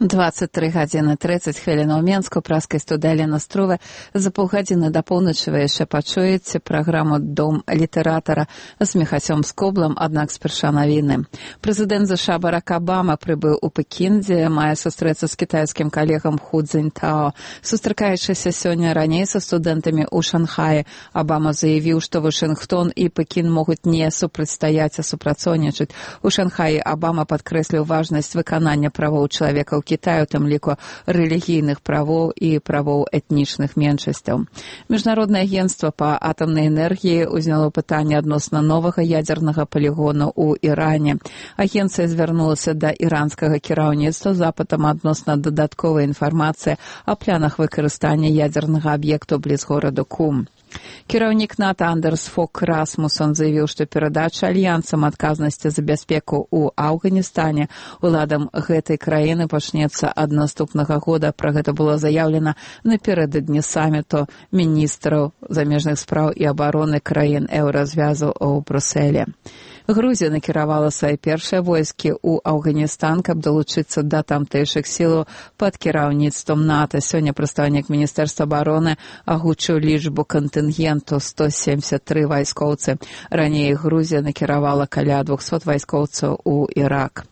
23 гадзіны 30 хвілін у Менску, праскай студыі Настрова. За паўгадзіны да поўначы вы яшчэ пачуеце праграму «Дом літаратара» з Міхасём Скоблам, аднак спярша навіны. Прэзідэнт ЗША Барак Абама прыбыў у Пекін, дзе мае сустрэцца з кітайскім калегам Ху Цзіньтао. Сустракаючыся сёння раней са студэнтамі ў Шанхаі, Абама заявіў, што Вашынгтон і Пекін могуць не супрацьстаяць, а супрацоўнічаць. У Шанхаі Абама падкрэсліў важнасць выканання правоў чалавека ў Кітаю, у тым ліку рэлігійных правоў і правоў этнічных меншасцяў. Міжнароднае агенцтва па атамнай энергіі ўзняло пытанне адносна новага ядзернага палігону ў Іране. Агенцыя звярнулася да іранскага кіраўніцтва з запытам адносна дадатковай інфармацыі о планах выкарыстання ядзернага аб'екту бліз гораду Кум. Кіраўнік НАТО Андерс Фок Расмусон заявіў, што перадача альянсам адказнасці за бяспеку ў Афганістане уладам гэтай краіны пачнецца ад наступнага года. Пра гэта было заяўлена напярэдадні саміту міністраў замежных спраў і абароны краін еўразвязу ў Брусэле. Грузія накіравала свае першыя войскі ў Афганістан, каб далучыцца да тамтэйшых сілаў пад кіраўніцтвам НАТО. Сёння прадстаўнік Міністэрства абароны агучыў лічбу кантынгенту 173 вайскоўцы. Раней Грузія накіравала каля 200 вайскоўцаў у Ірак.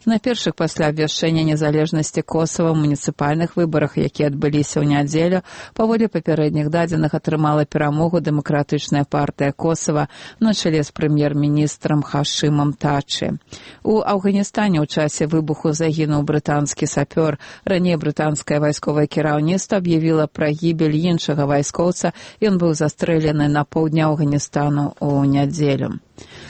На першых пасля абвяшчэння незалежнасці Косава муніцыпальных выбарах, якія адбыліся ў нядзелю, паводле папярэдніх дадзеных атрымала перамогу дэмакратычная партыя Косава на чале з прэм'ер-міністрам Хашымам Тачы. У Афганістане ў часе выбуху загінуў брытанскі сапёр. Раней брытанскае вайсковае кіраўніцтва аб'явіла пра гібель іншага вайскоўца. Ён быў застрэлены на поўдні Афганістану ў нядзелю.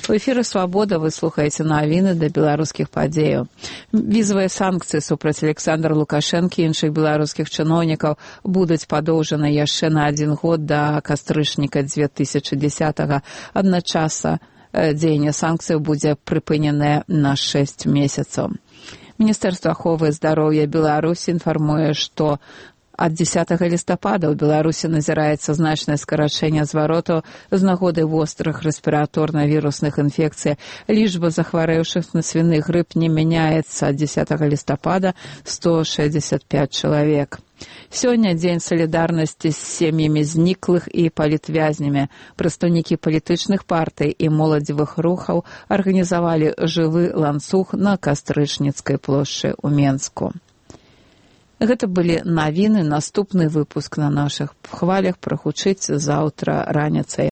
У эфіры «Свабода» вы слухаеце навіны да беларускіх падзеяў. Візавыя санкцыі супраць Александра Лукашэнкі і іншых беларускіх чыноўнікаў будуць падоўжаны яшчэ на 1 год да кастрычніка 2010-го. Адначасна дзеянне санкцыяў будзе прыпыненае на 6 месяцаў. Міністэрства аховы здароўя Беларусі інфармуе, што ад 10 лістапада ў Беларусі назіраецца значнае скарачэнне зваротаў з нагоды вострых рэспіраторна-вірусных інфекцый. Лічба захварэўшых на свіны грып не мяняецца. Ад 10 лістапада 165 чалавек. Сёння дзень салідарнасці з сем'ямі зніклых і палітвязнямі. Прадстаўнікі палітычных партый і моладзевых рухаў арганізавалі жывы ланцуг на Кастрычніцкай плошчы ў Менску. Гэта былі навіны. Наступны выпуск на нашых хвалях прагучыць заўтра раніцай.